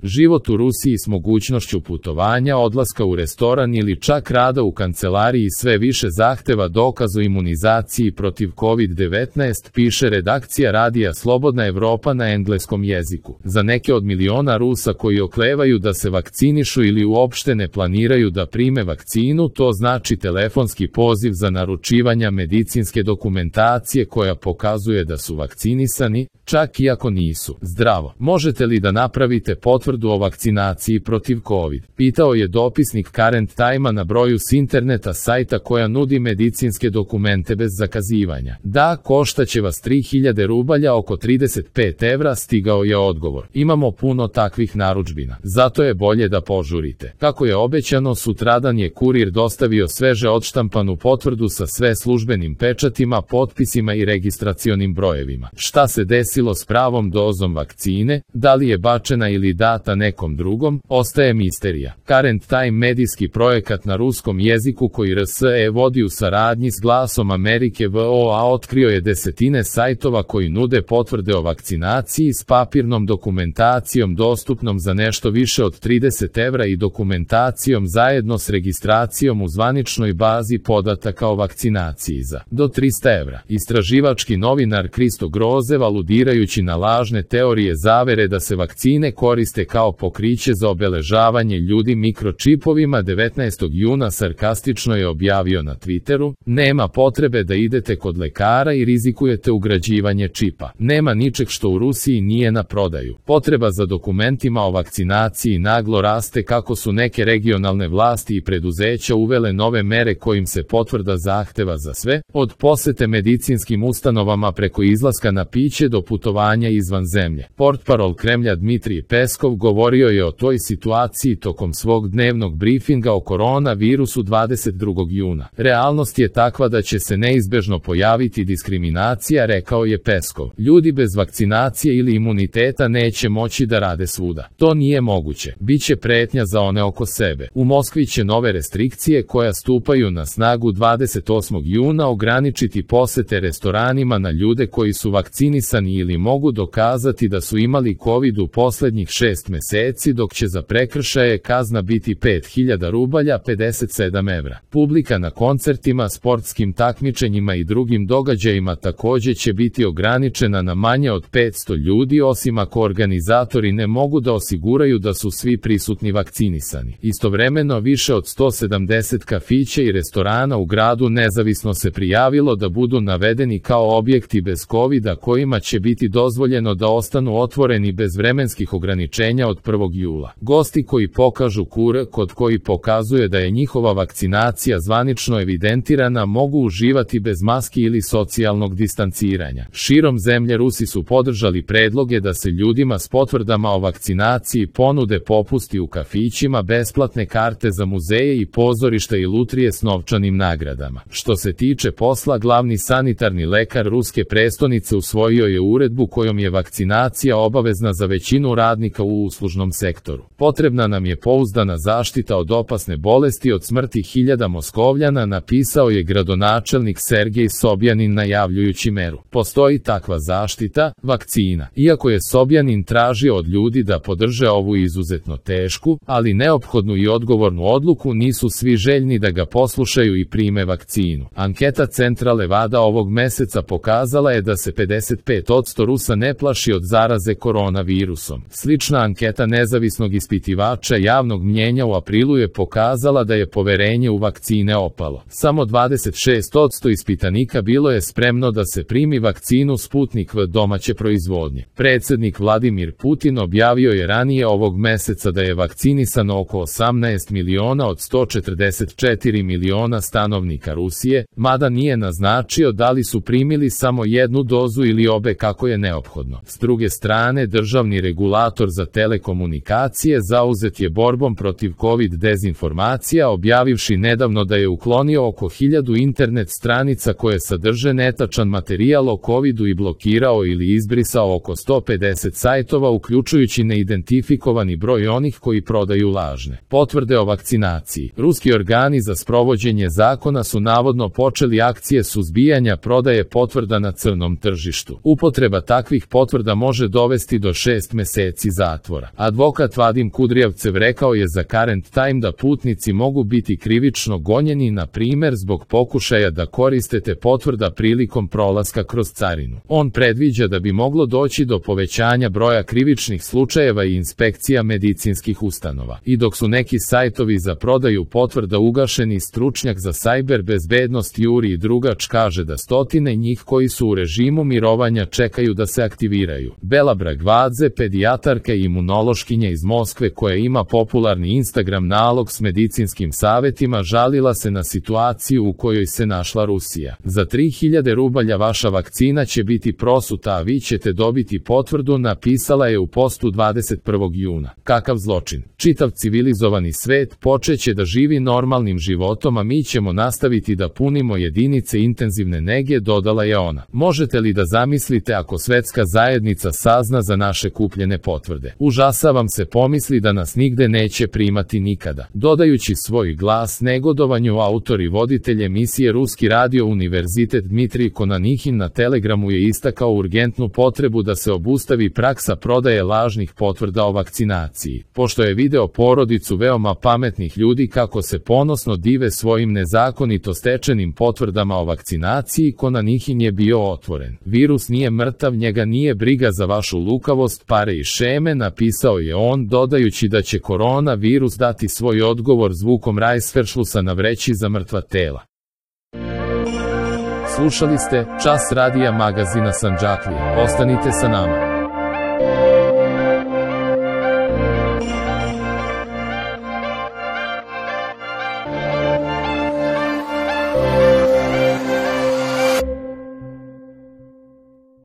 Život u Rusiji s mogućnošću putovanja, odlaska u restoran ili čak rada u kancelariji sve više zahteva dokaz o imunizaciji protiv COVID-19, piše redakcija radija Slobodna Evropa na engleskom jeziku. Za neke od miliona Rusa koji oklevaju da se vakcinišu ili uopšte ne planiraju da prime vakcinu, to znači telefonski poziv za naručivanje medicinske dokumentacije koja pokazuje da su vakcinisani, čak i ako nisu. Zdravo, možete li da napravite potvrdu o vakcinaciji protiv COVID? Pitao je dopisnik Current Time-a na broju s interneta sajta koja nudi medicinske dokumente bez zakazivanja. Da, koštaće vas 3000 rubalja, oko 35 evra, stigao je odgovor. Imamo puno takvih narudžbina, zato je bolje da požurite. Kako je obećano, sutradan je kurir dostavio sveže odštampanu potvrdu sa sve službenim pečatima, potpisima i registracionim brojevima. Šta se desilo s pravom dozom vakcine, da li je bačena ili data nekom drugom, ostaje misterija. Current Time, medijski projekat na ruskom jeziku koji RSE vodi u saradnji s Glasom Amerike VOA, otkrio je desetine sajtova koji nude potvrde o vakcinaciji s papirnom dokumentacijom dostupnom za nešto više od 30 evra i dokumentacijom zajedno s registracijom u zvaničnoj bazi podataka o vakcinaciji za do 300 evra. Istraživački novinar Kristo Grozev, aludirajući na lažne teorije zavere da se vakcine koriste kao pokriće za obeležavanje ljudi mikročipovima, 19. juna sarkastično je objavio na Twitteru: nema potrebe da idete kod lekara i rizikujete ugrađivanje čipa. Nema ničeg što u Rusiji nije na prodaju. Potreba za dokumentima o vakcinaciji naglo raste kako su neke regionalne vlasti i preduzeća uvele nove mere kojim se potvrda zahteva za sve, od posete medicinskim ustanovama preko izlaska na piće do putovanja izvan zemlje. Portparol Kremlja Dmitrij Peskov govorio je o toj situaciji tokom svog dnevnog brifinga o koronavirusu 22. juna. Realnost je takva da će se neizbežno pojaviti diskriminacija, rekao je Peskov. Ljudi bez vakcinacije ili imuniteta neće moći da rade svuda. To nije moguće. Biće pretnja za one oko sebe. U Moskvi će nove restrikcije koja stupaju na snagu 28. juna ograničiti posete restoranima na ljude koji su vakcinisani ili mogu dokazati da su imali COVID u poslednjih 6 meseci, dok će za prekršaje kazna biti 5000 rubalja, 57 evra. Publika na koncertima, sportskim takmičenjima i drugim događajima takođe će biti ograničena na manje od 500 ljudi, osim ako organizatori ne mogu da osiguraju da su svi prisutni vakcinisani. Istovremeno, više od 170 kafića i restorana u gradu nezavisno se prijavilo da budu navedeni kao objekti bez COVID-a kojima će biti dozvoljeno da ostanu otvoreni bez vremenskih ograničenja od 1. jula. Gosti koji pokažu QR kod koji pokazuje da je njihova vakcinacija zvanično evidentirana mogu uživati bez maski ili socijalnog distanciranja. Širom zemlje Rusi su podržali predloge da se ljudima s potvrdama o vakcinaciji ponude popusti u kafićima, besplatne karte za muzeje i pozorišta i lutrije s novčanim nagradama. Što se tiče posla, glavni sanitarni lekar ruske prestonice usvojio je uredbu kojom je vakcinacija obavezna za većinu radnika u uslužnom sektoru. Potrebna nam je pouzdana zaštita od opasne bolesti, od smrti hiljada Moskovljana, napisao je gradonačelnik Sergej Sobjanin najavljujući meru. Postoji takva zaštita, vakcina. Iako je Sobjanin tražio od ljudi da podrže ovu izuzetno tešku, ali neophodnu i odgovornu odluku, nisu svi željni da ga poslušaju i prime vakcinu. Anketa Centra Levada ovog meseca pokazala je da se 55% Rusa ne plaši od zaraze koronavirusom. Slična anketa nezavisnog ispitivača javnog mnjenja u aprilu je pokazala da je poverenje u vakcine opalo. Samo 26% ispitanika bilo je spremno da se primi vakcinu Sputnik V domaće proizvodnje. Predsjednik Vladimir Putin objavio je ranije ovog meseca da je vakcinisano oko 18 miliona od 144 miliona stanovnika Rusije, mada nije naznačio da li su primili samo jednu dozu ili obe kako je neophodno. S druge strane, državni regulator za telekomunikacije zauzet je borbom protiv COVID dezinformacija, objavivši nedavno da je uklonio oko 1000 internet stranica koje sadrže netačan materijal o COVID-u i blokirao ili izbrisao oko 150 sajtova, uključujući neidentifikovani broj onih koji prodaju lažne potvrde o vakcinaciji. Ruski organi za sprovođenje zakona su navodno počeli akcije suzbijanja prodaje potvrda na crnom tržištu. Upotreba takvih potvrda može dovesti do 6 meseci zatvora. zatvora. Advokat Vadim Kudrijavcev rekao je za Current Time da putnici mogu biti krivično gonjeni, na primjer zbog pokušaja da koristite potvrda prilikom prolaska kroz carinu. On predviđa da bi moglo doći do povećanja broja krivičnih slučajeva i inspekcija medicinskih ustanova. I dok su neki sajtovi za prodaju potvrda ugašeni, stručnjak za sajber bezbednost Jurij Drugač kaže da stotine njih koji su u režimu mirovanja čekaju da se aktiviraju. Bela Bragvadze, pedijatarka i imunološkinja iz Moskve koja ima popularni Instagram nalog s medicinskim savjetima, žalila se na situaciju u kojoj se našla Rusija. Za 3000 rubalja vaša vakcina će biti prosuta, a vi ćete dobiti potvrdu, napisala je u postu 21. juna. Kakav zločin! Čitav civilizovani svet počeće da živi normalnim životom, a mi ćemo nastaviti da punimo jedinice intenzivne nege, dodala je ona. Možete li da zamislite ako svetska zajednica sazna za naše kupljene potvrde? Užasavam se pomisli da nas nigde neće primati nikada. Dodajući svoj glas negodovanju, autor i voditelj emisije Ruski radio Univerzitet Dmitrij Konanihin na Telegramu je istakao urgentnu potrebu da se obustavi praksa prodaje lažnih potvrda o vakcinaciji. Pošto je video porodicu veoma pametnih ljudi kako se ponosno dive svojim nezakonito stečenim potvrdama o vakcinaciji, Konanihin je bio otvoren. Virus nije mrtav, njega nije briga za vašu lukavost, pare i šeme, napisao je on, dodajući da će korona virus dati svoj odgovor zvukom rajsferšlusa na vreći za mrtva tela. Slušali ste Čas radija magazina Sandžaklije. Ostanite sa nama.